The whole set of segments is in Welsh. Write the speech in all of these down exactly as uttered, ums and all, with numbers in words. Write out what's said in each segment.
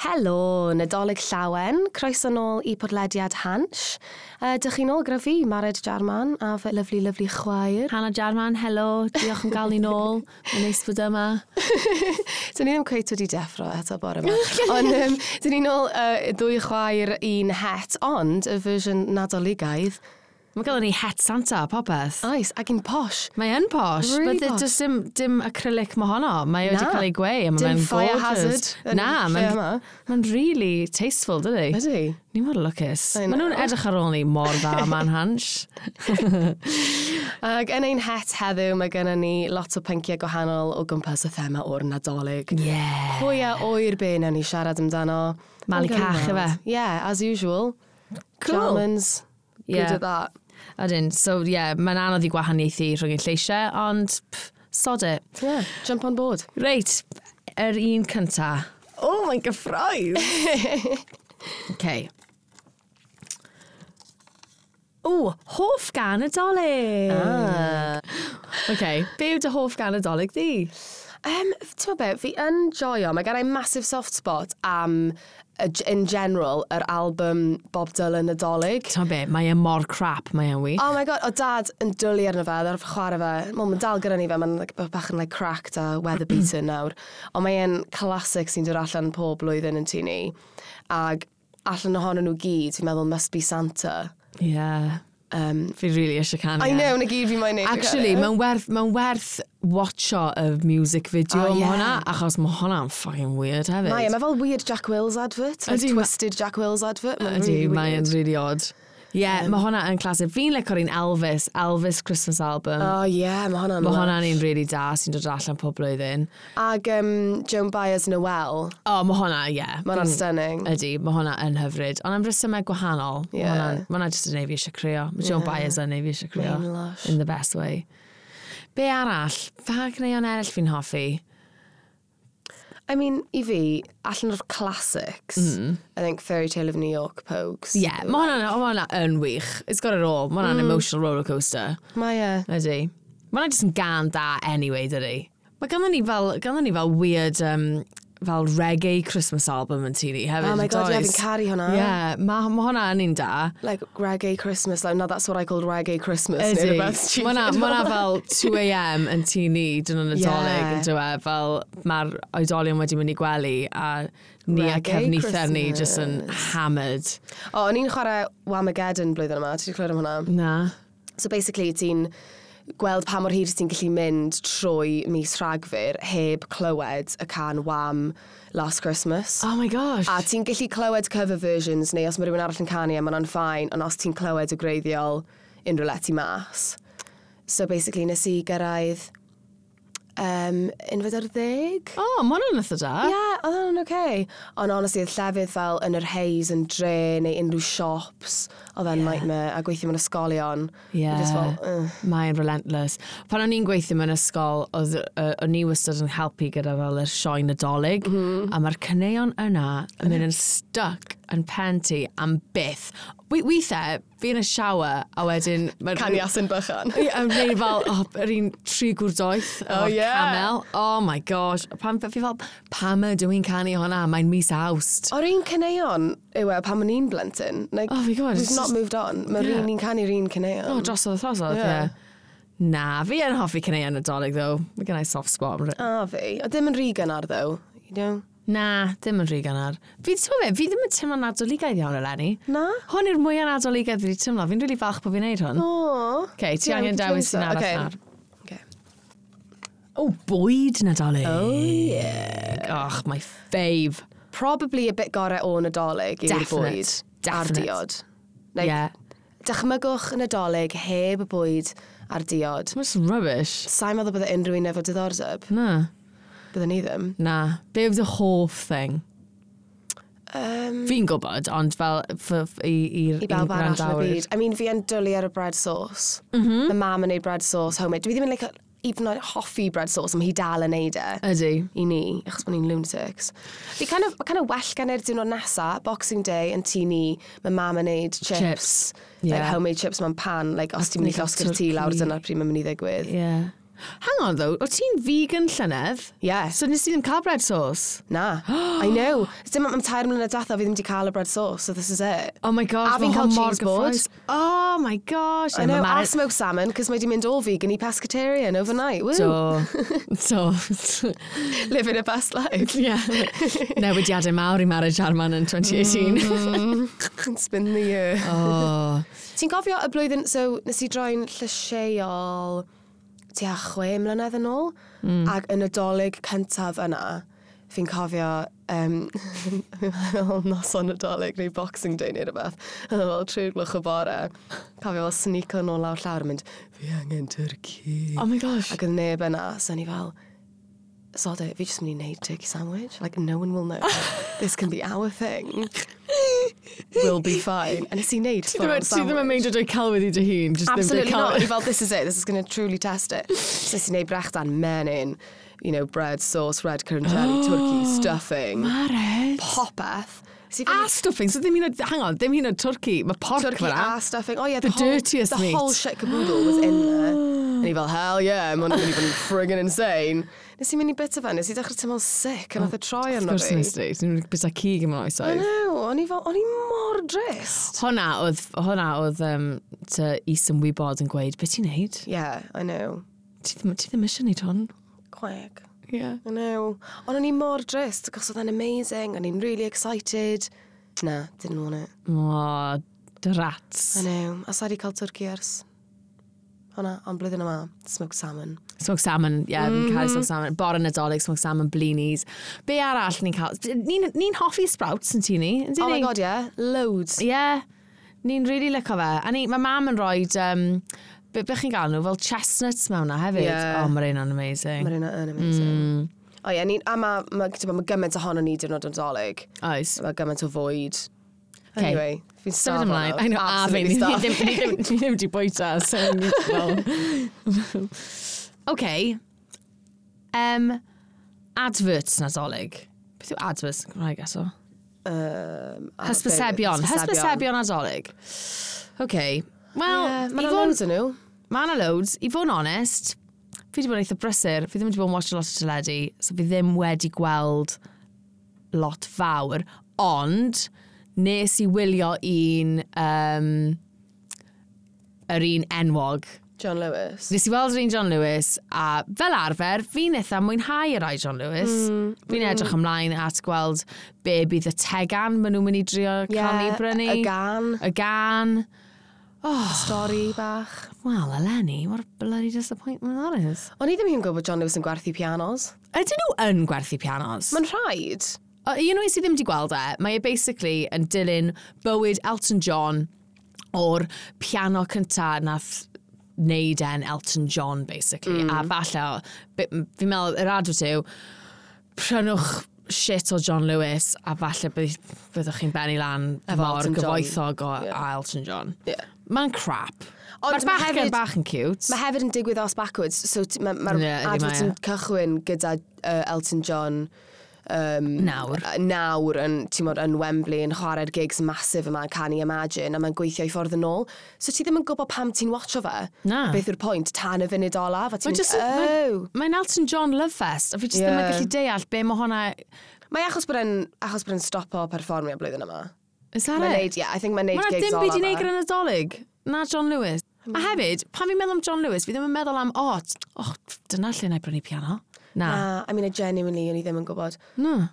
Helo, Nadolig Llawen. Croeso nôl i podlediad Hansh. Uh, dych chi nôl gyda fi, Mared Jarman, a fy lyfli, lyfli chwaer. Hannah Jarman, helo. Diolch am gael ni nôl. Mae'n neis bod yma. Dyn ni ddim cweit wedi deffro eto bore yma. Ond um, dyn ni nôl uh, ddwy chwaer un het, ond y fersiwn Nadoligaidd. Mae gael ni het Santa, popeth. Oes, ac yn posh. Mae yn posh. Really But posh. Does dim, dim acrylic mo honno. Mae wedi Na. cael ei gweu. A Dim mae'n fire gorgeous. hazard yn Na, lle mae'n yma. mae'n really tasteful, dydy? Ydy. Ni mor lwcus. I Maen nhw'n know. edrych ar ôl ni mor dda ma'n Hansh. Ac yn ein het heddiw, mae gennym ni lot o pynciau gwahanol o gwmpas y thema o'r Nadolig. Yeah. Pwy a ŵyr be nawn ni siarad amdano. Malu Ond gawn ni cach, weld. ife? Yeah, as usual. Cool. Germans, good Yeah. at that. Ydyn, so yeah, mae'n anodd i gwahaniaethu rhwng ein lleisiau, ond pff, sod it. Yeah, jump on board. Reit, yr un cynta. Oh, mae'n gyffrous! Okay. O, hoff gân Nadolig! Ah. Okay, be yw dy hoff gân Nadolig di? Um, ti'n be, fi yn joio, mae gen i massive soft spot am, uh, in general, yr album Bob Dylan Nadolig. Ti'n be, mae e mor crap, mae e'n wych. Oh my God, o dad yn dwlu arno fe, ar chwarae fe. Wel, mae'n dal gyda ni fe, mae'n like, bach yn like, cracked a weather beaten nawr. Ond mae e'n classic sy'n dod allan pob blwyddyn yn tŷ ni. Ag allan ohonyn nhw gyd, fi'n meddwl must be Santa. Yeah. Um, Fi really eisiau canu. I e. know, na gyd fi moyn neud. Actually, mae'n werth, mae'n werth watcho y music video Oh, oh, yeah. hwnna, achos mae hwnna'n fucking weird hefyd. Mae, e, mae fel weird Jack Wills advert. Like Ydi, ma- twisted Jack Wills advert. Mae'n Ydy, really mae'n weird. really odd. Yeah, um, mae hwnna yn classic. Fi'n lico'r un Elvis, Elvis Christmas album. Oh yeah, mae hwnna'n mae hwnna'n lush. un really da sy'n dod allan pob blwyddyn. Ag um, Joan Baez Noel. Oh, mae hwnna, yeah. Mae hwnna'n Fi'n- stunning. Ydy, mae hwnna yn hyfryd. Ond am resymau gwahanol. Yeah. Mae hwnna'n ma hwnna jyst yn neud fi eisiau crio. Mae Joan Yeah. Baez yn neud fi eisiau crio. Mae'n lush. In the best way. Be arall? Pa caneuon eraill fi'n hoffi? I mean, i fi, allan o'r classics, mm. I think Fairy Tale of New York Pogues. Yeah, mae hwnna'n ma hwnna yn wych. It's got it all. Mae hwnna'n mm. emotional rollercoaster. Mae e. Ydy. Mae hwnna jyst yn gân da anyway, dydy. Mae ganddo ni fel, ganddo ni fel weird, um, fel reggae Christmas album yn tŷ ni hefyd. Oh my God, yeah, does? fi'n caru hwnna. Yeah, mae ma hwnna yn un da. Like reggae Christmas. Like, no, that's what I call reggae Christmas. Neu Ydy. rhywbeth stupid. Mae hwnna fel two a m yn tŷ ni, dyn nhw'n Nadolig Yeah. yn dweud, fel mae'r oedolion wedi mynd i gwely a ni a Reggae cefnither ni just yn Christmas. hammered. O, o'n i'n chwarae Whamageddon blwyddyn yma. Ti wedi clywed am hwnna? Na. So basically, ti'n gweld pa mor hir ti'n gallu mynd trwy mis Rhagfyr heb clywed y cân Wham Last Christmas. Oh my gosh. A ti'n gallu clywed cover versions neu os mae rhywun arall yn canu e, mae hwnna'n fine, ond os ti'n clywed y gwreiddiol, unrhyw le ti mas. So basically, nes i gyrraedd um, unfed ar ddeg. Oh, mae hwnna'n eitha da. Ie, yeah, oedd hwnna'n okay. Ond honestly, oedd llefydd fel yn yr haze yn dre neu unrhyw shops, oedd e'n Yeah. nightmare, a gweithio mewn ysgolion. Yeah. Just fel, uh. Mae'n relentless. Pan o'n i'n gweithio mewn ysgol, oedd uh, o'n i wastad yn helpu gyda fel y sioe Nadolig, mm -hmm. a mae'r caneuon yna yn mynd yn stuck yn pen ti am byth. We, weithiau, fi yn y shower, a wedyn ma'r- Canu Asyn Bychan. Ie, a neu fel, oh, yr un tri gŵr doeth, Oh, o'r yeah. camel. Oh my gosh. Pam, fi fel, pam ydw i'n canu hwnna? Mae'n mis Awst. O'r un caneuon yw e pan o'n i'n blentyn. Like, Oh my God, we've it's not just- moved on. Mae'r Yeah. un ni'n canu'r un caneuon. Oh, drosodd a throsodd, ie. Yeah. Yeah. Na, fi yn hoffi caneuon Nadolig, though. Mae gen i soft spot. A fi. O ddim yn rhy gynnar, though. You know? Na, ddim yn rhy gynnar. Fi, ti'n gwbod be, fi ddim yn teimlo nadoligaidd iawn eleni. Na? Hwn yw'r mwyaf nadoligaidd fi wedi teimlo. Fi'n rili falch bod fi'n neud hwn. O. Okay, ti Yeah, angen we can dewis change un that. arall Okay. nawr. Okay. O, bwyd Nadolig. Oh, yeah. Och, my fave. Probably a bit gorau o Nadolig yw'r Definite. bwyd. A'r Definite. diod. Like, Yeah. Dychmygwch Nadolig heb y bwyd a'r diod. It's rubbish. Sa'n meddwl bydde unrhyw un efo diddordeb. Na. Bydde ni ddim. Na. Be yw dy hoff thing? Um, Fi'n gwybod, ond fel f, f, i, i'r I bawb i'n arall yn y gwrandawyr. byd. I mean, fi yn dwlu ar y bread sauce. Mm -hmm. Mae mam yn neud bread sauce homemade. Dwi ddim yn like, even like, hoffi bread sauce, ond mae hi dal yn neud e. Ydy. I ni, achos bod ni'n lunatics. Fi kind of, kind of well gan i'r diwrnod nesa, Boxing Day, yn tŷ ni, mae mam yn neud chips. Chips, Like yeah. homemade chips mewn pan. Like, os ti'n mynd i Neu llosgi'r tŷ lawr, turkey. dyna'r pryd mae'n mynd i ddigwydd. Yeah. Hang on though, o ti'n vegan llynedd? Yeah. So nes ti ddim cael bread sauce? Na, I know. Dim am tair mlynedd diwetha fi ddim wedi cael y bread sauce, so this is it. Oh my gosh, A fi'n ma' cael hwn mor cheese board. gyffrous. Oh my gosh. I know, a smoked salmon, cos mae di mynd o vegan i pescatarian overnight. Woo! So, so, Living a best life. yeah. Newidiadau mawr i Mared Jarman yn twenty eighteen. Mm. It's been the year. Oh. Ti'n cofio y blwyddyn, so nes i droi'n llysieuol tua chwe mlynedd yn ôl, mm. ac y Nadolig cyntaf yna, fi'n cofio, um, fi'n meddwl noson Nadolig neu Boxing Day neu rhywbeth, oedd o fel tri gloch y bore, cofio fel sneako nôl lawr llawr yn mynd, "Fi angen turkey." Oh my gosh. Ac oedd neb yna, so o'n i fel, "Sod it, fi jyst mynd i wneud turkey sandwich. Like, no one will know. This can be our thing. We'll be fine." A nes i wneud Ti ddim full yn- ti ddim yn sandwich. meindio dweud celwydd i dy hun. Just ddim Absolutely dweud not. O'n i celwydd. fel, "This is it. This is going to truly test it." So nes i wneud brechdan menyn, you know, bread, sauce, red currant jelly, turkey, stuffing, Mared. popeth. Nes i A fynd- stuffing, so ddim hyn o, hang on, ddim hyn o turkey, mae pork Turkey fyna. a stuffing. Oh yeah, The the, whole, dirtiest the meat. whole shit caboodle was in there. And i fel, "Hell yeah, mae hwnna'n mynd i fod yn friggin' insane." Nes i mynd i bita fe, nes i dechrau teimlo'n sick, a nath e troi Of arno course fi. nes di, ti'n bita cig yn I oesoedd. know, o'n i fel, o'n i mor drist. Hwna oedd, hwnna oedd um, dy is-ymwybod yn gweud, "Beth ti'n neud? Yeah, I know. Ti ddim, ti ddim eisiau neud hwn." Quack. Yeah. I know. Ond o'n i mor drist, achos oedd e'n amazing, o'n i'n really excited. Na, didn't want it. O, drats. I know. A sa i 'di cael turkey ers hwnna, ond blwyddyn yma, smoked salmon. Smoked salmon, yeah, mm -hmm. cael smoked salmon. Bore Nadolig, smoked salmon, blinis. Be arall ni'n cael? Ni'n ni hoffi sprouts yn tŷ ni, yn Oh my ni? God, yeah. Loads. Yeah, ni'n really licio fe. A ni, mae mam yn rhoi, um, be, be chi'n gael nhw, fel chestnuts mewn na hefyd. Yeah. Oh, mae'r un o'n amazing. Mae'r un yn amazing. Mm. O ie, ni, a mae ma, ma, ma gymaint ohono ni diwrnod Nadolig. Oes. Mae gymaint o fwyd. Okay. Anyway, fi'n Symud starfo ymlaen. nawr. I know, a fi, Absolutely ni starving. ddim, ni ddim, ni ddim wedi bwyta, so ni- well. Okay. Um, adverts Nadolig. Beth yw adverts yn Gymraeg eto? Um, a Hysbysebion. be- Hysbysebion Nadolig. Okay. Wel, Yeah, i Mae yna fod- loads o nhw. Mae yna loads. I fod yn onest, fi wedi bod yn eitha brysur. Fi ddim wedi bod yn watch a lot o teledu, so fi ddim wedi gweld lot fawr. Ond, nes i wylio un, um, yr un enwog. John Lewis. Nes i weld yr un John Lewis, a fel arfer, fi'n eitha mwynhau yr rai John Lewis. Mm, fi'n edrych ymlaen at gweld be bydd y tegan maen nhw'n mynd i drio cael ni brynu. Y gan. Y gan. Stori bach. Wel, eleni, what a bloody disappointment that is. O'n i ddim yn gwybod bod John Lewis yn gwerthu pianos. Ydyn nhw yn gwerthu pianos? Mae'n rhaid. O, un o'i sydd ddim wedi gweld e, mae e basically yn dilyn bywyd Elton John o'r piano cynta nath wneud e'n Elton John, basically. Mm. A falle, be- fi'n meddwl, yr advert yw, "Prynwch shit o John Lewis a falle bydd, byddwch chi'n bennu lan Efo mor Elton John. gyfoethog o Yeah. a Elton John." Yeah. Mae'n crap. Ond Mae'r ma' bachgen hefyd- bach yn cute. Mae hefyd yn digwydd os backwards. So t- mae'r ma Ie, ydi, advert mae e. yn cychwyn gyda uh, Elton John um, Nawr. yy, nawr yn, ti'n mod, yn Wembley yn chwarae'r gigs massive yma, Can You Imagine, a mae'n gweithio i ffordd yn ôl. So ti ddim yn gwybod pam ti'n watcho fe. Na. Beth yw'r pwynt tan y funud olaf. A ti'n Mae mynd, jyst yn- oh. Mae'n Elton John love fest, a fi jyst ddim yn Ie. gallu deall be mae hwnna. Mae achos bod e'n achos bod e'n stopo perfformio blwyddyn yma. Is that Mae'n it? neud, yeah, I think mae'n neud Mae 'na gigs dim byd i olaf wneud fe. gyda Nadolig. Na John Lewis. A hefyd, pan fi'n meddwl am John Lewis, fi ddim yn meddwl am, "Oh, t- oh dyna lle na i brynu piano." Na. Na, I mean, I genuinely, o'n i ddim yn gwybod. Na.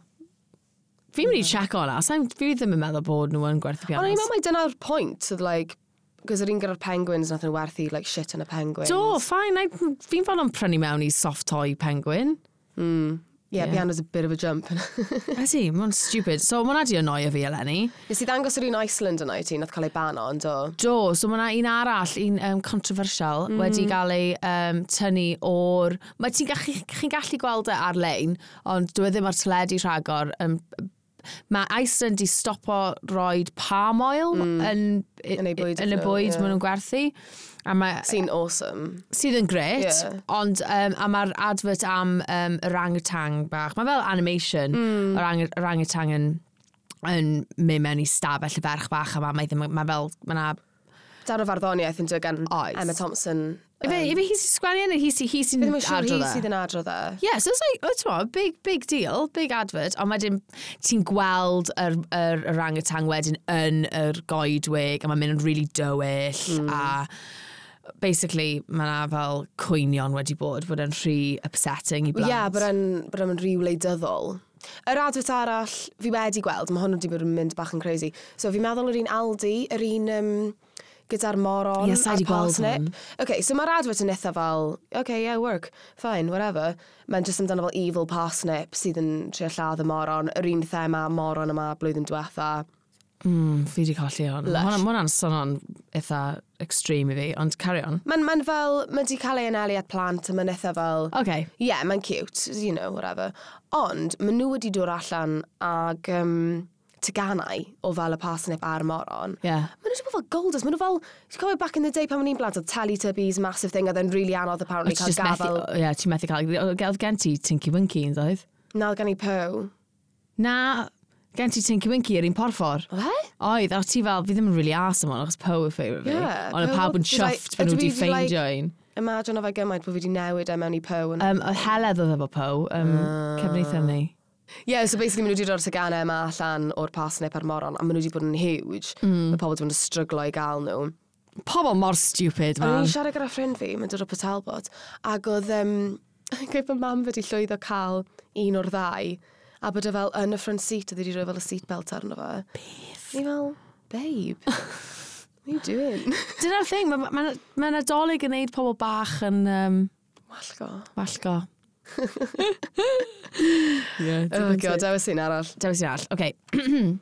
Fi'n mynd i check hwnna. Sa'n- Fi ddim yn meddwl bod nhw yn gwerthu Ond o'n i'n pianos. meddwl mai dyna'r pwynt, oedd like, cos yr un gyda'r penguins nath nhw werthu like shit yn y penguins. Do, fine. I- Fi'n fodlon prynu mewn i soft toy penguin. Yeah, Yeah. piano's a bit of a jump. Ydy, mae'n stupid. So, mae hwnna di annoio fi eleni. Nes i ddangos yr un Iceland yna i ti, nath cael ei bano, ond do. Do, so mae yna un arall, un um, controversial, mm. wedi gael ei um, tynnu o'r. Mae ti'n gallu, chi'n gallu gweld e ar-lein, ond dwi e ddim ar teledu rhagor. Um, mae Iceland di stopo roed palm oil mm. yn, Yn eu bwyd yn y nhw, bwyd ie. maen nhw'n gwerthu. A mae, Sy'n awesome. Sydd yn gret, Ie. ond um, a mae'r advert am um, orangutan bach, mae fel animation, mm. orang, orangutan yn, yn mynd mewn i stafell y ferch bach yma, mae, ddim, mae fel, mae na Darn o farddoniaeth yn dod gan Oes. Emma Thompson. Ife, ife hi sy'n sgwennu neu hi sy'n hi sy'n Fi ddim yn siŵr hi adrodd e? sydd yn adrodd e. Yeah, so it's like, oh, t'mo, big, big deal, big advert. Ond wedyn, ti'n gweld yr, yr orangutan wedyn yn yr goedwig, a mae'n mynd yn really dywyll, mm. a basically, mae yna fel cwynion wedi bod, bod e'n rhy upsetting i Ie, blant. yeah, bod e'n bod e'n rhy wleidyddol. Yr advert arall fi wedi gweld, mae hwn wedi bod yn mynd bach yn crazy. So fi'n meddwl yr un Aldi, yr un um, gyda'r moron Ie, sa i a'r 'di gweld parsnip. hwn. Okay, so mae'r advert yn eitha fel, okay, yeah, work, fine, whatever. Mae'n just amdano fel evil parsnip sydd yn trio lladd y moron. Yr un thema moron yma blwyddyn diwetha. Mm, fi wedi colli hwn. Lush. Mae hwnna'n swnio'n eitha extreme i fi, ond carry on. Mae'n ma fel, mae'n di cael ei anelu at plant a mae'n eitha fel... Okay. Yeah, mae'n cute, you know, whatever. Ond, maen nhw wedi dod allan ag um, teganau o fel y parsnip a'r moron. Yeah. Maen nhw wedi bod fel golders. Maen nhw fel, ti'n cofio back in the day pan o'n i'n blant, oedd Teletubbies, massive thing, oedd e'n really anodd apparently Ti cael just methu, gafel. ie, ti'n methu cael, oedd gen ti Tinky Winky yn ddoedd? Na, oedd gen i Po. Na, gen ti Tinky Winky yr un porffor. Oedd e? Oedd, a ti fel, fi ddim yn really arse am hwn, achos Poe yw favourite fi. Yeah, Ond y Poe pawb yn oedd- did I- chuffed bod nhw ydw wedi i 'di, like- ffeindio un. Imagine o fe gymaint bod fi wedi newid e mewn i Po. Um, Um, oedd Heledd oedd efo Poe, um, uh. cefneitha ni. yeah, so basically maen nhw wedi dod o'r teganau yma allan o'r parsnip a'r moron, a maen nhw wedi bod yn huge. Mm. Mae pobl wedi bod yn stryglo i gael nhw. Pobl mor stupid, O'n man. i'n siarad gyda ffrind fi, mae'n dod o Port Talbot, ac oedd, um, gweud bod mam wedi llwyddo cael un o'r ddau, a bod e fel yn y front seat, oedd wedi rhoi fel y seatbelt arno fe. Beth? Ni fel, babe, what are you doing? Dyna'r thing, mae ma, ma Nadolig yn neud pobl bach yn um, Wallgo. wallgo. yeah, Oh god, dewis un arall. Dewis un arall, oce.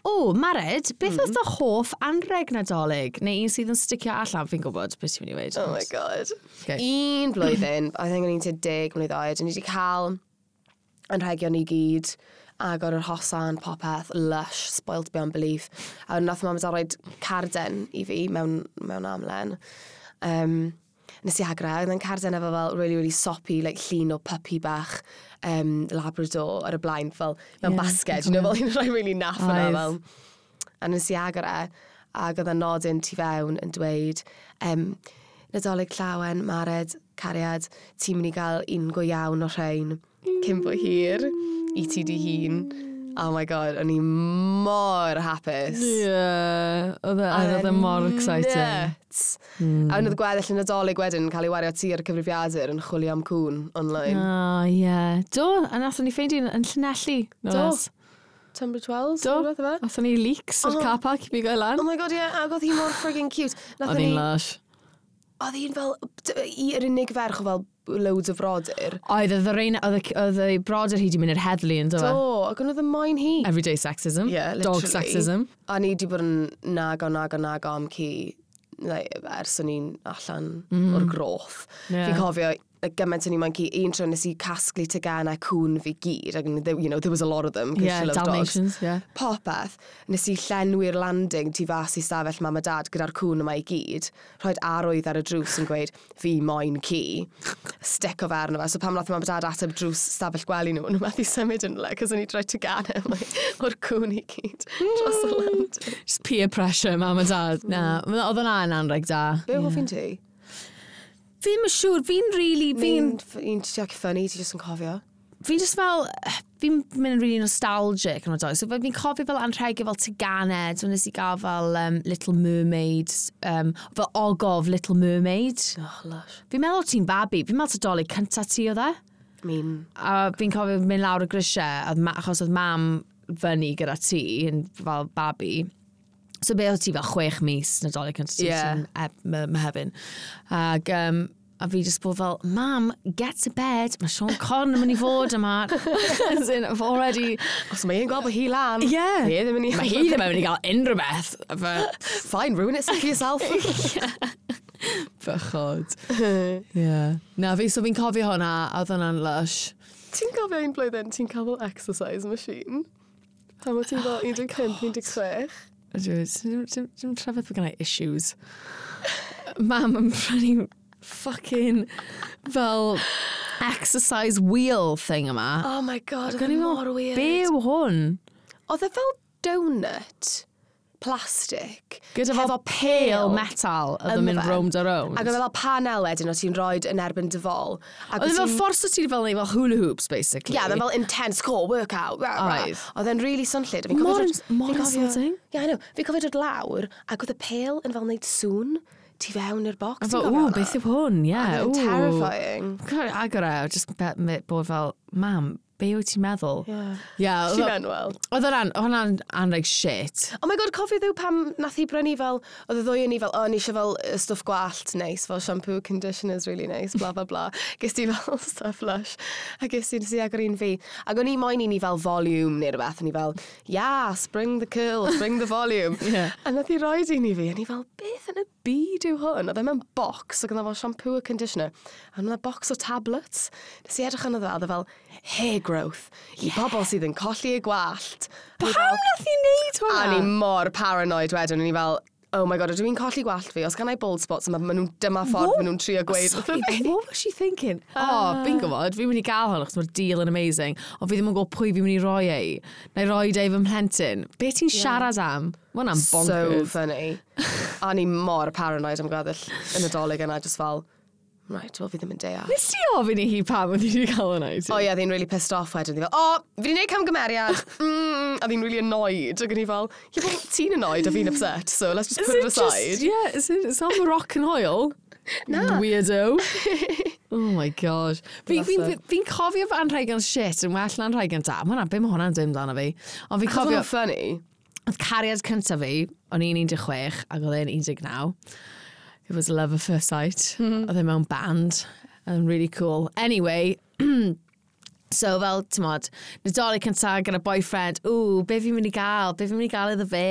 O, Mared, beth mm. oedd dy hoff anreg Nadolig? Neu un sydd yn sticio allan, fi'n gwybod beth ti'n mynd i weud. Oh my god. Okay. Un blwyddyn, I think o'n i'n tua deg mlwydd oed, o'n i wedi cael anrhegion i gyd, agor yr hosan, popeth, lush, spoilt beyond belief. A nath mam a dad roed carden i fi mewn, mewn amlen. Um, nes i agor e, oedd e'n carden efo fel really, really soppy, like llun o puppy bach um, Labrador ar y blaen, fel mewn Ie, yeah, basged, you know, fel un rhai really naff yna, Oedd. fel. A nes i agor e, ac oedd y nodyn tu fewn yn dweud, um, Nadolig llawen, Mared, cariad, ti'n mynd i gael un go iawn o rhain cyn bo hir i ti di hun. Oh my god, o'n i mor hapus. Yeah, oedd e- oedd e mor exciting. Nuts. Mm. A oedd gweddill y Nadolig wedyn yn cael ei wario ti ar y cyfrifiadur yn chwilio am cŵn online. Oh, yeah. Do, a nathon ni ffeindio un yn Llanelli. no Do. less. Tunbridge Wells? Do. neu rhywbeth ife? Nathon ni leaks o'r Oh. car park i fi gael lan. Oh my god, yeah, ac oedd hi mor friggin' cute. Oedd Nathon hi'n ni, lush. oedd hi'n fel, d- i yr unig ferch o fel loads o frodyr. Oedd, oedd yr un, oedd y- oedd y brodyr hi wedi mynd i'r heddlu yn do fe? Do, ac oedd y moyn hi. Everyday sexism. Yeah, Dog literally. sexism. A ni wedi bod yn nago, nago, nago am ci like, ers o'n i'n allan mm. o'r groth. Yeah. Fi'n cofio like, gymaint o'n i moyn ci, un tro nes i casglu teganau cŵn fi gyd, ac you know, there was a lot of them, 'cause Yeah, she loved dogs. Dalmatians, yeah. Popeth, nes i llenwi'r landing tu fas i stafell mam a dad gyda'r cŵn yma i gyd, rhoed arwydd ar y drws yn gweud, fi moyn ci, stick o fe arno fe. So pam nath mam a dad ateb drws stafell gwely nhw, nhw methu symud yn le, cos o'n i droi teganau o'r cŵn i gyd dros y landing. Just peer pressure, mam a dad. Na, oedd hwnna yn anreg da. Be yeah. hoff un ti? Fi ddim yn siŵr, fi'n really, fi'n Un, un ti'n funny, ti jyst yn cofio. fi'n just fel, fi'n mynd yn really nostalgic yn oed. So fi'n cofio fel anrhegau fel teganau, so nes i gael fel um, Little Mermaid, um, fel ogof Little Mermaid. Oh, lush. Fi'n meddwl ti'n babi, fi'n meddwl Dolig cynta ti oedd e. I mean, A fi'n cofio mynd lawr y grisiau, oedd ma, achos oedd mam fyny gyda ti yn fel babi. So be oedd ti fel chwech mis Nadolig cynta ti, Ie. ti'n eb, my, Mehefin. Ag, um, a fi just bod fel, Mam, get to bed, mae Siôn Corn yn mynd i fod yma. As in, I've already... os mae hi'n gweld bod hi lan, Yeah. Hi ddim yn i... Mae hi ddim yn mynd i gael unrhyw beth. Fe... Fine, ruin it for yourself. Bychod. yeah. Na, fi, so fi'n cofio hwnna, a oedd hwnna'n lush. Ti'n cofio un blwyddyn, ti'n cael fel exercise machine? Pan o ti'n fel un deg pump, un deg chwech? Ydw, dim, dim, dim trafod bod gennau issues. Mam yn prynu fucking fel exercise wheel thing yma. Oh my god, Ac oedd o'n e i fel, mor weird. Be yw hwn? Oedd e fel donut, plastic. Gyda fel hefo pêl metal oedd yn ynddo mynd fe. rownd a rownd. Ac oedd e fel panel wedyn o ti'n rhoi yn erbyn dy fol. Ac Oedd e wyt fel ti'n- ffordd o ti fel neud fel hula hoops, basically. Yeah, oedd e fel intense core workout. Rah, rah. Oedd. Oedd e'n really swnllyd. A fi'n Mor cofio ins- dod- mor fi'n cofio- insulting. Yeah, I know. Fi'n cofio dod lawr, ac oedd y pêl yn fel neud sŵn tu fewn i'r box. A Ti'n fel, cofio ww, hwnna? beth yw hwn? Yeah, Oedd e'n ww. terrifying. Cofio agor e, just be- me- bod fel, mam, be wyt ti'n meddwl? Yeah. Yeah, She oedd meant well. oedd hwnna'n oedd hwnna'n anreg shit. Oh my God, cofio ddiw pam nath hi brynu fel, oedd y ddwy yn ni fel, oh, ni eisiau fel y stwff gwallt neis, fel shampoo, conditioners really nice, bla bla bla. Ges ti fel stuff Lush. A ges ti, nes i agor un fi. Ac o'n i moyn i ni fel volume neu rhywbeth, o'n i fel, yes, bring the curls, bring the volume. Yeah. A nath hi roid un i fi, a ni fel, beth yn y byd yw hwn? Oedd e mewn box, ac oedd e fel shampoo a conditioner. A oedd e box o tablets. Nes i edrych arno fe, oedd e fel hair growth, i bobl sydd yn colli eu gwallt. A o'n i Pam fel- nath hi neud hwnna? A ni mor paranoid wedyn, o'n i fel, oh my God, ydw i'n colli gwallt fi? Os gan I bald spots, ma, ma nhw, dyma ffordd maen nhw'n trio gweud wrtho Sorry, fi. what was she thinking? Oh, fi'n gwybod, fi'n mynd i gael hwn achos mae'r deal yn amazing, ond fi ddim yn gwybod pwy fi'n mynd i roi ei. Na i roi e i fy mhlentyn. Be ti'n siarad am? Mae hwnna'n So bonkers. funny. A ni mor paranoid am gweddill y Nadolig yna, just fel, right, well, fi ddim yn deall. Nes ti ofyn i hi pam oedd hi wedi cael hwnna i ti? O ie, oh, yeah, really pissed off wedyn. Oedd hi fel, o, oh, fi wedi gwneud camgymeriad. Mm, a ddi'n really annoyed. Ac o'n i fel, yeah, well, ti'n annoyed a fi'n upset, so let's just Is put it it aside. just, yeah, is it, it's not Moroccan oil? Na. Weirdo. Oh my God. Fi'n fi, Bless fi, fi cofio fy anrhegion shit yn well na anrhegion da. Ma' hwnna, be mae hwnna'n dweud amdano fi? Ond fi'n Achos cofio, o'n funny. oedd cariad cyntaf fi, o'n i'n un deg chwech ac oedd e'n un deg naw. It was love at first sight. Oedd e mewn band. And really cool. Anyway, so fel, ti'n Nadolig cyntaf gyda boyfriend, ww, be fi'n mynd i gael? Be fi'n mynd i gael iddo fe?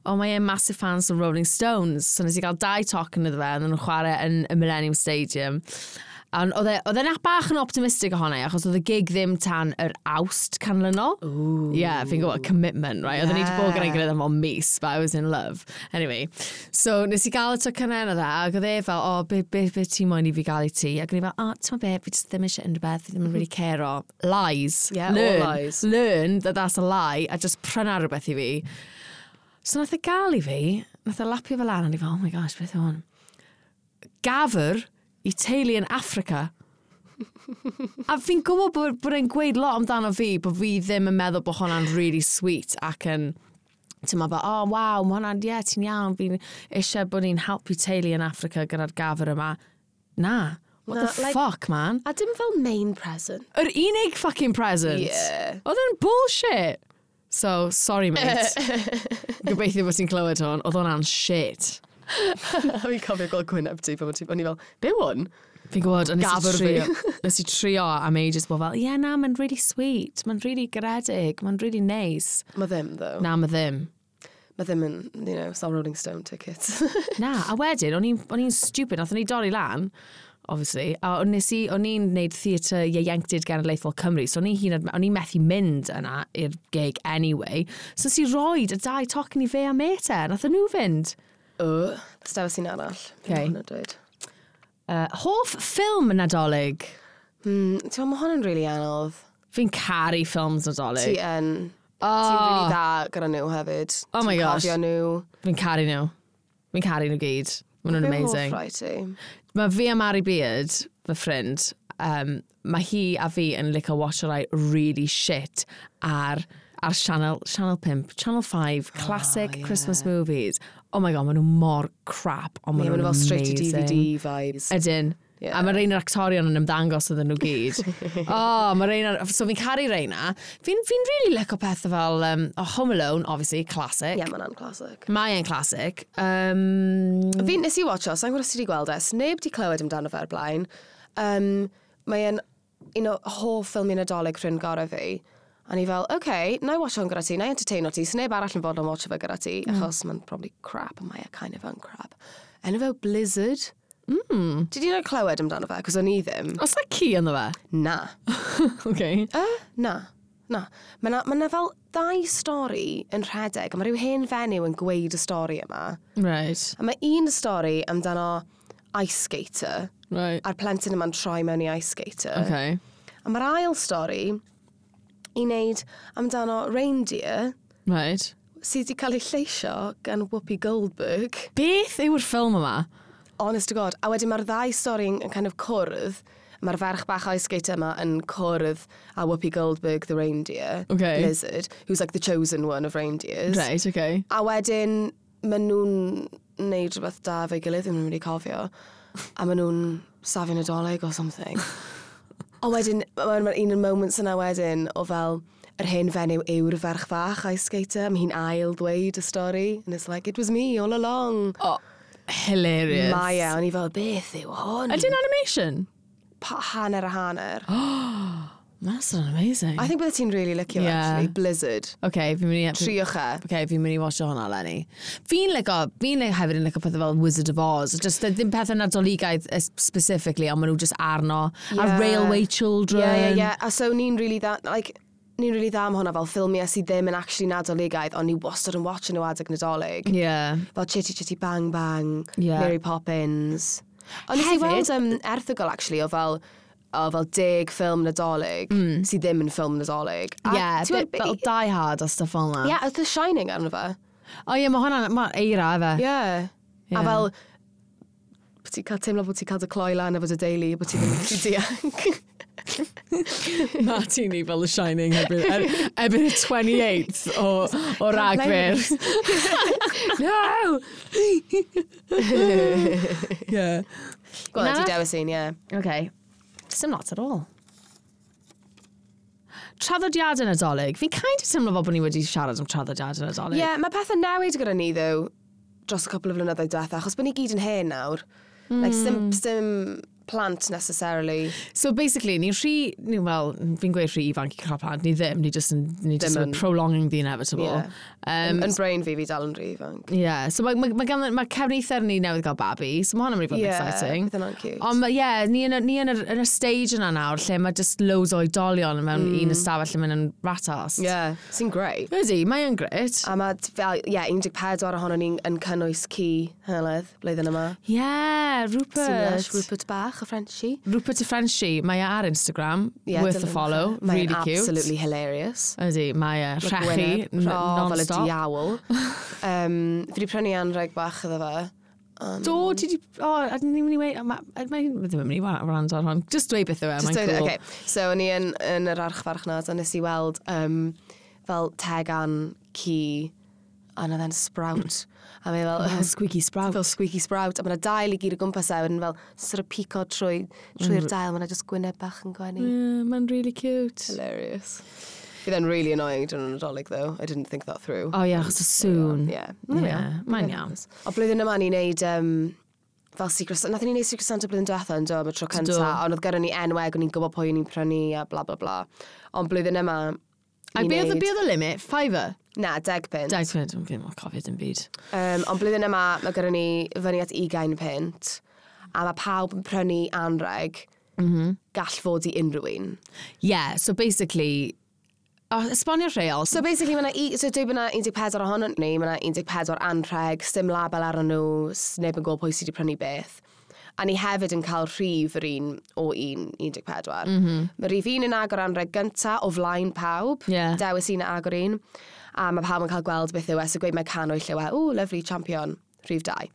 O, mae e'n massive fans of Rolling Stones. So nes i gael dau tocyn iddo fe, a nhw'n chwarae yn y Millennium Stadium. A oedd e- oedd e'n bach yn optimistic ohono i, achos oedd y gig ddim tan yr Awst canlynol. Ooh. Yeah, fi'n gwybod, commitment, right? Oedden ni wedi bod gyda'n gilydd am fel mis, but I was in love. Anyway, so nes i gael y tocynnau yna dde, ac oedd e fel, o, oh, be, be, be ti moyn i fi gael i ti? Ac o'n i fel, o, oh, ti'n be, fi just ddim eisiau unrhyw beth, fi ddim yn really care o. Lies. Yeah, all Learn. lies. Learn that that's a lie, a just pryna rhywbeth i fi. So nath e gael i fi, nath e lapio fel lan, a o'n i fel, oh my gosh, beth yw hwn? Gafr i teulu yn Africa. A fi'n gwybod bod, bod e'n gweud lot amdano fi, bod fi ddim yn meddwl bod hwnna'n really sweet ac yn, ti'n meddwl, oh, waw, mae hwnna'n, ie, yeah, ti'n iawn, fi'n eisiau bod ni'n helpu teulu yn Africa gyda'r gafr yma. Na. What Na, the like- fuck, man? A dim fel main present. Yr unig fucking present. Yeah. Oedd e'n bullshit. So, sorry, mate. Gobeithio bod ti'n clywed hwn. Oedd hwnna'n shit. Fi'n cofio gweld gwyneb ti pan o'n i fel, be hwn? Fi'n gwybod, ond nes i Gafr fi. trio, nes i trio am ages bod fel, yeah, na, mae'n really sweet, mae'n really garedig, mae'n really nice. Mae ddim, though. Na, mae ddim. Mae ddim yn, you know, it's not Rolling Stone tickets. Na, a wedyn, o'n i'n o'n i'n stupid, nathon ni dorri lan, obviously, a o'n nes i, o'n i'n neud theatr ieuenctid genedlaethol Cymru, so o'n i hyd yn oed- o'n i'n methu mynd yna i'r gig anyway, so nes i roid y dau tocyn i fe a mate e, nathon nhw fynd. O, let's dewis un arall. Okay. Hwnna dweud. Uh, hoff ffilm Nadolig? Hmm, ti'n meddwl, mae hwn yn really anodd. Fi'n caru ffilms Nadolig. Ti yn. Oh. Ti'n really dda gyda nhw hefyd. Oh my Ti'n gosh. cofio nhw. Fi'n caru nhw. Fi'n caru nhw gyd. Maen nhw'n Be amazing. hoff rai ti? Mae fi a Mary Beard, fy ffrind, um, mae hi a fi yn licio watch rai really shit ar, ar Channel, Channel five, Channel five, classic Oh, yeah. Christmas movies. Oh my God, maen nhw mor crap, ond maen Ie, maen nhw'n nhw fel straight to amazing. D V D vibes. Ydyn. Yeah. A mae rhain yr actorion yn ymddangos iddyn nhw gyd. Oh, mae rhain ar... So fi'n caru rheina. Fi'n fi really licio pethau fel um, oh, Home Alone, obviously, classic. Ie, yeah, mae'n classic. Mae e'n classic. Um, Fi nes i watcho, sa'n gwybod os ti wedi gweld e, sneb di clywed amdano fe o'r blaen. Um, mae e'n un o hoff ffilmiau Nadolig ffrind gorau fi. A ni fel, oce, okay, na i watcho hwn gyda ti, na i entertaino ti, sneb arall yn fodlon watcho fe gyda ti, mm. achos mae'n probably crap, a mae e kind of yn crap. Enw fe Blizzard. Mm. Ti di roi clywed amdano fe, cos o'n i ddim. Oes na ci ynddo fe? Na. Okay. Uh, na. Na. Mae na, ma na fel ddau stori yn rhedeg, a mae rhyw hen fenyw yn gweud y stori yma. Right. A mae un stori amdano ice skater, Right. a'r plentyn yma'n troi mewn i ice skater. Okay. A mae'r ail stori i wneud amdano reindeer Right. sydd wedi cael ei lleisio gan Whoopi Goldberg. Beth yw'r ffilm yma? Honest to God. A wedyn mae'r ddau stori yn, yn kind of cwrdd. Mae'r ferch bach ice skater yma yn cwrdd a Whoopi Goldberg, the reindeer, Okay. Blizzard, who's like the chosen one of reindeers. Right, okay. A wedyn, maen nhw'n neud rhywbeth da efo'i gilydd, ddim yn mynd i cofio. A maen nhw'n safio Nadolig or something. Ond wedyn, mae'n ma un o'r moments yna wedyn o fel, yr hen fenyw yw'r ferch fach ice skater, mae hi'n ail ddweud y stori, and it's like, "It was me all along." Oh, hilarious. Mae e, o'n i fel, "Beth yw hwn?" Ydy'n animation? Pa, hanner a hanner. That's amazing. I think bydde ti'n really licio, Yeah. actually. Blizzard. Okay, fi'n mynd i... Triwch e. Okay, fi'n mynd i watcho hwnna, Lenny. Fi'n licio, fi'n licio hefyd yn licio pethau fel Wizard of Oz. Just ddim pethau nadoligaidd eh, specifically, ond maen nhw just arno. A Yeah. Railway Children. Yeah, yeah, yeah. A so ni'n really dda, like, ni'n really dda am hwnna fel ffilmiau sydd ddim yn actually nadoligaidd, ond ni wastad yn watch nhw adeg Nadolig. Yeah. Fel Chitty Chitty Bang Bang, Yeah. Mary Poppins. Ond nes i Hefyd- weld um, erthygl, actually, o fel, o fel deg ffilm Nadolig, mm. sydd ddim yn ffilm Nadolig. A Yeah, ti'n bit, gwbod- fel Die Hard a stuff fel 'na. Yeah, oedd The Shining arno fe. O ie, mae hwnna'n, mae eira efe. Yeah. Yeah. A fel, bod ti'n cael teimlo bod ti'n cael dy cloi lan efo dy deulu, bod ti ddim yn gallu dianc. Ma ti ni fel The Shining erbyn, er, erbyn y twenty-eighth o, o Ragfyr. No! Yeah. Go on, Na? ti dewis un, yeah. Okay. Sim lot at all. Traddodiadau Nadolig. Fi'n kind of teimlo fel bod ni wedi siarad am traddodiadau Nadolig. Yeah, mae pethau newid gyda ni, though, dros y cwpl o flynyddoedd diwetha, achos bod ni gyd yn hen nawr. Mm. Like, sim, sim plant necessarily. So basically, ni'n rhy, ni, well, fi'n gweud rhy ifanc i cael plant, ni ddim, ni just yn, ni just Ddim yn yn. prolonging the inevitable. Yeah. Um, Yn brain fi, fi dal yn rhy ifanc. Yeah, so mae, mae, mae, gan, mae cefnither ni newydd gael babi, so mae hwnna'n mynd i fod yn Yeah, exciting. bydd hwnna'n cute. Ond, ma- yeah, ni yn, y- ni yn, y, yn y stage yna nawr, lle mae just loads o oedolion mewn mm. un ystafell yn mynd yn rat-arsed. Yeah, sy'n great. Ydy, mae yn great. A mae fel, yeah, un deg pedwar ohono ni'n yn cynnwys ci Heledd, blwyddyn yma. Yeah, Sy'n lush, Rupert. Rupert bach, y Frenchie. Rupert y Frenchie, mae e ar Instagram, Yeah, worth a dilynwch follow, e. Mae'n really cute. absolutely hilarious. Ydy, mae e Like rhechu, gwyneb. n- O, fel y non-stop. diawl. um, fi wedi prynu anreg bach iddo fe. Um, Do, ti di... O, a ni'n mynd i weud... Mae mae ddim yn mynd i wrando ar hwn. Just dweud beth yw e, Just mae'n dweud, cool. okay. So, o'n i yn, yn yr archfarchnad, a nes i weld um, fel tegan ci, a na then sprout. A mae fel Fel squeaky sprout. Fel squeaky sprout. A mae yna dail i gyd o gwmpas e, wedyn fel sort of pico trwy, trwy'r dail, mae yna just gwyneb bach yn gwenu. Yeah, mae'n really cute. Hilarious. Bydd e'n really annoying dyn Nadolig, though. I didn't think that through. Oh, yeah, achos y sŵn. Yeah. There we Yeah, are. mae'n iawn. O blwyddyn yma ni'n neud um, fel Secret Santa. Nathon ni neud Secret Santa blwyddyn diwetha yn do, am y tro cynta. Do. Ond oedd gyda ni enwau, o'n i'n gwybod pwy o'n i'n prynu a bla bla bla. Ond blwyddyn yma, A ni'n be oedd y neud- be oedd y limit? Fiver? Na, deg punt. Deg punt, fi'n cofio dim byd. Um, ond blwyddyn yma, mae gyda ni fyny at ugain punt. A mae pawb yn prynu anreg. Mm Mhm. -hmm. Gall fod i unrhyw un. Yeah, so basically... Oh, esbonio'r rheol. So basically, mae 'na, so dweud bod 'na un deg pedwar ohono ni, mae 'na un deg pedwar anrheg, sim label arnyn nhw, s- neb yn gwybod pwy sydd wedi prynu beth. A ni hefyd yn cael rhif yr un o un un deg pedwar. Mm -hmm. Mae rhif un yn agor anrheg gynta o flaen pawb. Ie. Dewis un a agor un. A mae pawb yn cael gweld beth yw e. So gweud mae canwyll yw e. "Ooh, lovely, champion." Rhif dau.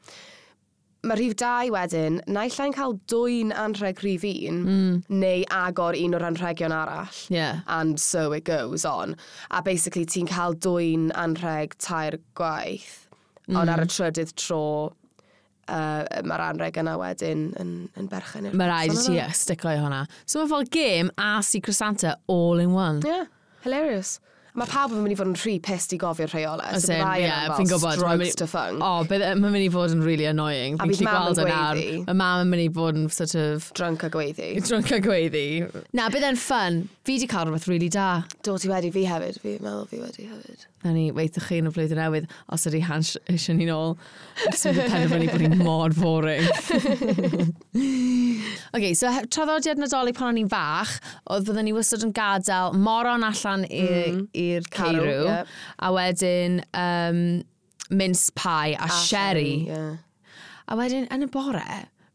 Mae rhif dau wedyn, naill ai'n cael dwy'n anrheg rhif un, mm. neu agor un o'r anrhegion arall. Yeah. And so it goes on. A basically ti'n cael dwy'n anrheg tair gwaith, mm. ond ar y trydydd tro, uh, mae'r anrheg yna wedyn yn, yn berchen i'r Mae rhaid i person ti yna. stico i hwnna. So mae fel game a Secret Santa all in one. Yeah, hilarious. Mae pawb yn mynd i fod yn rhy pissed i gofio'r rheolau. As So in, byddai yeah, yna'n fi'n fel gwybod. Mae'n strokes mynd- to funk. O, bydd- mae'n mynd i fod yn really annoying. A Fi'n bydd gallu mam yn gweld e nawr. gweiddi. Mae mam yn mynd i fod yn sort of Drunk a gweiddi. drunk a gweiddi. Na, bydd e'n fun. Fi di cael rhywbeth really da. Do, ti wedi, fi hefyd. Fi'n meddwl fi wedi hefyd. Na ni, weithio chi yn y flwyddyn newydd, os ydy Hans eisiau ni nôl. Jyst yn penderfynu bod ni'n mor boring. OK, so he- traddodiad Nadolig pan o'n i'n fach, oedd byddwn ni wastad yn gadael moron allan i'r mm. Carw, ceirw, ie. a wedyn um, mince pie a, a sherry. Yeah. A wedyn, yn y bore,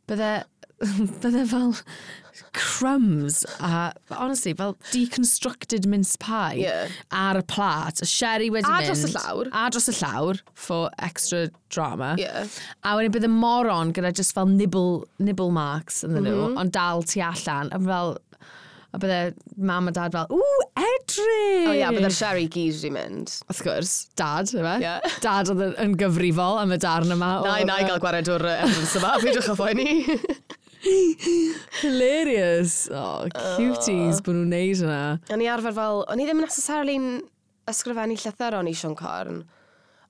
bydde, bydde fel Crumbs a, honestly, fel deconstructed mince pie Yeah. ar y plat. Y sherry wedi A mynd. dros y llawr. A dros y llawr, for extra drama. Yeah. A wedyn bydd y moron gyda just fel nibble, nibble marks yn nhw, mm Mhm. -hmm. ond dal tu allan. A fel, a bydde mam a dad fel, ww, edrych! O ia, bydde'r sherry gyd wedi mynd. Wrth gwrs, dad, yfe? Ie. Dad oedd yn- yn gyfrifol am y darn yma. Na, o'r, na i gael gwared o'r yy, evidence yma, peidiwch â phoeni. Hilarious. Oh, cuties bod nhw'n neud hwnna. O'n i arfer fel, o'n i ddim necessarily'n ysgrifennu llythyron i Siôn Corn,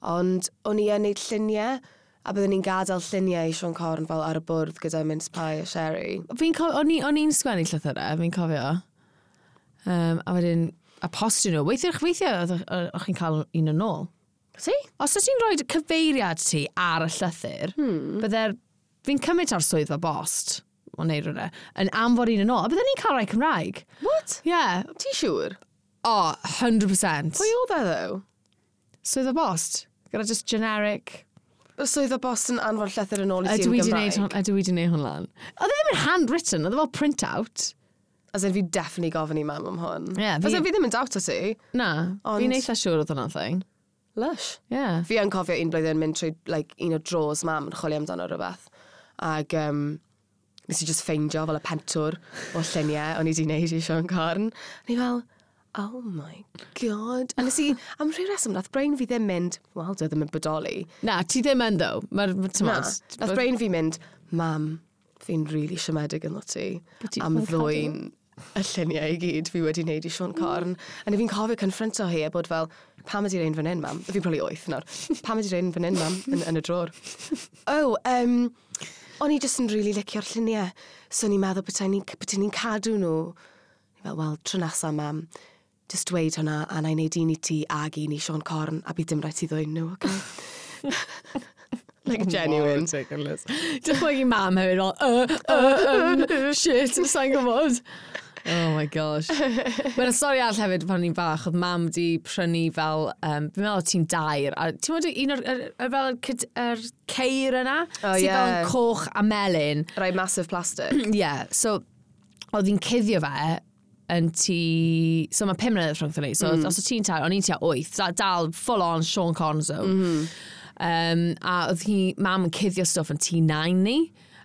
ond o'n i yn neud lluniau, a byddwn ni'n gadael lluniau i Siôn Corn fel ar y bwrdd gyda mince pie a sherry. Fi'n cofio, o'n i- o'n i'n sgwennu llythyrau, fi'n cofio. Um, a wedyn, a postio nhw. Weithiau, weithiau oedd o'ch chi'n cael un yn ôl. Ti? Os oes ti'n rhoi cyfeiriad ti ar y llythyr, hmm. bydde'r... Fi'n cymryd ar swyddfa bost, o neu rhywle, yn anfon un yn ôl. A bydden ni'n cael rhai Cymraeg. What? Yeah. Ti siŵr? Oh, one hundred percent. Pwy oedd e, though? Swyddfa bost. Gyda just generic. Y swyddfa bost yn anfon llythyr yn ôl i ti Ydw yn i 'di neud Gymraeg? hwn, ydw i 'di neud hwn lan. Oedd e ddim yn handwritten, oedd e fel print-out. As in, fi definitely gofyn i mam am hwn. Ie, fi- As in, fi ddim yn doubt o ti. Na, Ond- fi'n eitha siŵr oedd hwnna'n thing. Lush. Yeah. Fi yn cofio un blwyddyn mynd trwy like, un o drawers mam yn chwilio amdano rhywbeth. Ac um, nes i just ffeindio fel y pentwr o lluniau o'n i wedi wneud i Siôn Corn. A ni fel, "Oh my God." A nes i, am rhyw reswm, nath brain fi ddim mynd, "Wel, dwi ddim yn bodoli." Na, ti ddim yn ddo. Mae'r, Na, t'mod, nath brain fi mynd, "Mam, fi'n really siomedig ynddo ti Bod ti am ddim yn cadw." ddwyn y lluniau i gyd fi wedi wneud i Siôn Corn." A ni fi'n cofio confronto hi a bod fel, "Pam ydi rhain fan hyn, mam?" Fi'n probably wyth nawr. "Pam ydi rhain fan hyn, mam? Yn, yn y drôr." "Oh, um, o'n i jyst yn really licio'r lluniau. So o'n i'n meddwl bydden ni'n bydden ni'n cadw nhw." Ni fel, "Wel, tro nesa, mam, just dweud hwnna a na i wneud un i ti ag un i Siôn Corn a bydd dim rhaid ti ddwyn nhw, okay?" Like, genuine. Ridiculous. Dychmygu mam hefyd fel, uh, uh, um, shit, sa'n gwybod. Oh my gosh. Mae'n stori arall hefyd pan o'n i'n fach, oedd mam di prynu fel, um, fi'n meddwl ti'n dair, a ti'n meddwl un o'r, yr, yr, fel yr, cyd- yr ceir yna? Oh, Sydd fel ie. yn coch a melyn. Rai massive plastic. Yeah, so oedd hi'n cuddio fe yn ti. So mae pum mlynedd rhwngthon ni. So mm. os o ti'n tair, o'n i'n tua wyth. Da- Dal full on Siôn Corn zone. Mm -hmm. um, a oedd hi, mam yn cuddio stwff yn tŷ nain ni.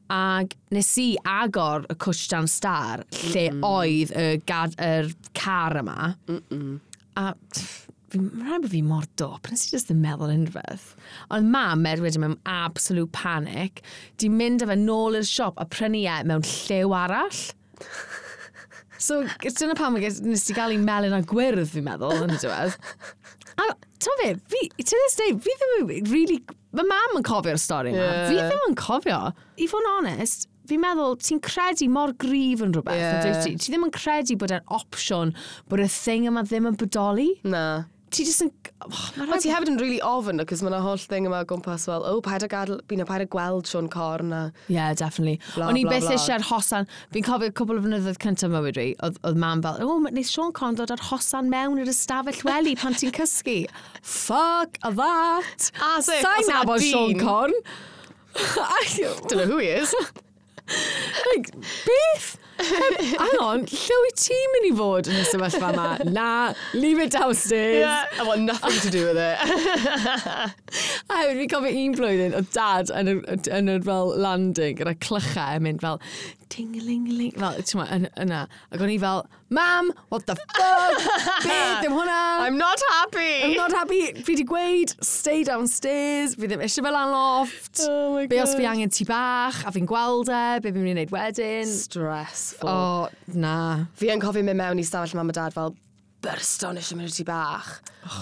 Ag nes i agor y cwtsh dan star lle mm -mm. oedd y, gad, yr car yma. Mm -mm. A pff, fi, mae'n rhaid bod fi mor dop, nes i just ddim meddwl unrhyw beth. Ond mam, er wedyn mewn absolute panic, di mynd â fe nôl i'r siop a prynu e mewn lliw arall. So, dyna pam nes ti gael ei melyn a gwyrdd, fi'n meddwl, yn y diwedd. A, ti'n fe, fi, to this day, fi ddim yn really. Mae mam yn cofio'r stori yma. Ie. Fi ddim yn cofio. I fod yn onest, fi'n meddwl, ti'n credu mor gryf yn rhywbeth, Ie. yeah. Ti? Ti ddim yn credu bod e'n opsiwn, bod y thing yma ddim yn bodoli. Na. Ti jyst yn... Oh, ma' Ond rhaid- ti hefyd yn really ofn, cos mae'na holl thing yma o gwmpas fel, oh, paid â gadw, you know, paid â gweld Siôn Corn a. Yeah, definitely. Bla, O'n i bla, byth bla. eisiau'r hosan. Fi'n cofio cwpl o flynyddoedd cyntaf mywyd fi, oedd, oedd mam fel, "O, oh, neith Siôn Corn ddod â'r hosan mewn i'r ystafell wely pan ti'n cysgu." Fuck that! As if, Sa'n os yna nabod Siôn dyn. Corn. Don't know who he is. Like, beth? Hang on, lle wyt ti'n mynd i fod yn y sefyllfa yma? Na, leave it downstairs. Yeah, I want nothing to do with it. A hefyd fi'n cofio un blwyddyn, oedd dad yn y, yn y fel landing gyda clychau yn mynd fel ting-ling-ling, fel, ti'n ma, yn, yna. Ac o'n i fel, "Mam, what the fuck? Beth yw hwnna?" I'm not happy. I'm not happy. Fi di gweud, stay downstairs, fi ddim eisiau fel lan loft. Oh my Be os fi God. angen tŷ bach, a fi'n gweld e, be fi'n mynd i wneud wedyn? Stressful. O, na. Fi yn cofio mynd mewn i stafell mam a dad fel burst on eisiau mynd i tŷ bach.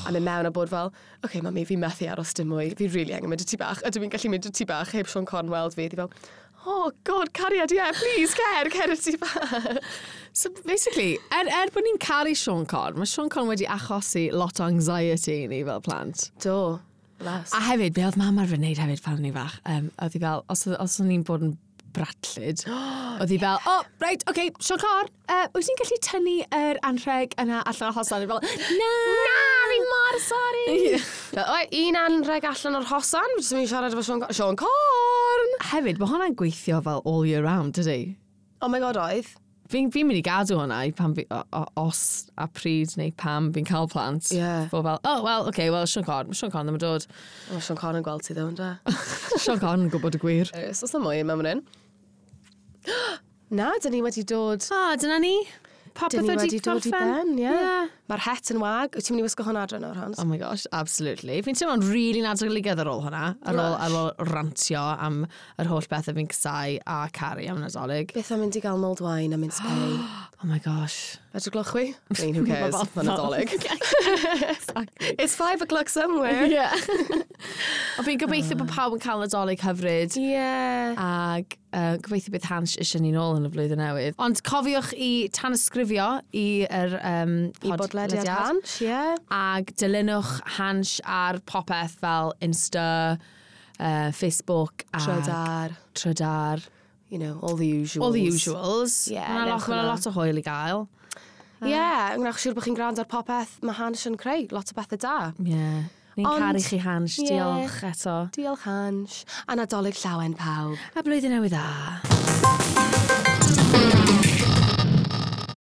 A mynd mewn a bod fel, "Oce, okay, mami, fi methu aros dim mwy. Fi really angen mynd i tŷ bach. Ydw i'n gallu mynd i tŷ bach heb Siôn Corn weld fi?" Di fel, "Oh God, cariad, yeah, please, cer, cer i tŷ bach." So basically, er, er bod ni'n caru Siôn Corn, mae Siôn Corn wedi achosi lot o anxiety i ni fel plant. Do, bless. A hefyd, be oedd mam arfer wneud hefyd pan o'n i fach, um, oedd hi fel, os, oedd- os o'n i'n bod yn bratlyd, oedd hi fel, "Oh, right, okay, Siôn Corn, uh, wyt ti'n gallu tynnu yr anrheg yna allan o'r hosan?" Fel, "Na!" Na, fi mor sorry. Fel, "Oi, un anrheg allan o'r hosan, fi jyst yn mynd i siarad efo Siôn Corn. Siôn Corn!" Hefyd, mae hwnna'n gweithio fel all year round, dydy? Oh my God, oedd. Fi'n fi mynd i gadw hwnna i pan fi, o, o, os a pryd neu pam fi'n cael plant. Ie. Fod fel, "Oh, well, okay, well, Siôn Corn, Siôn Corn ddim yn dod." O, Siôn Corn yn gweld ti ddo, ynddo? Siôn Corn yn gwybod y gwir. Oes na mwy mewn fan hyn? Na, dyn ni wedi dod. Ah, dyna ni. Popeth Dyn ni wedi wedi dod i gorffen. ben, ie. Yeah. Mae'r het yn wag. Wyt ti'n mynd i wisgo hwnna adre nawr, Hans? Oh my gosh, absolutely. Fi'n teimlo'n really nadoligaidd ar ôl hwnna. Ar ôl, ar ôl rantio am yr holl bethau fi'n casáu a caru am Nadolig. Beth am mynd i gael mulled wine a mince pie? Oh my gosh. Bedwar gloch chwi? I mean, who cares? Ma' fel- Mae'n Nadolig. Exactly. It's five o'clock somewhere. Yeah. Ond fi'n gobeithio bod pawb yn cael Nadolig hyfryd. Yeah. Ag uh, gobeithio bydd Hansh eisiau ni nôl yn y flwyddyn newydd. Ond cofiwch i tanysgrifio i yr um, I bodlediad Hansh, ie. Ag dilynwch Hansh ar popeth fel Insta, uh, Facebook a Trydar. Trydar. You know, all the usuals. All the usuals. Ie, Mae 'na lot, newch ma' 'na hwnna. lot o hwyl i gael. Ie, yeah, gwnewch siŵr bod chi'n gwrando ar popeth mae Hansh yn creu. Lot o bethau da. Yeah. Ni'n Ond- caru chi, Hansh. Ie. Diolch eto. Diolch, Hansh. A Nadolig llawen pawb. A blwyddyn newydd dda.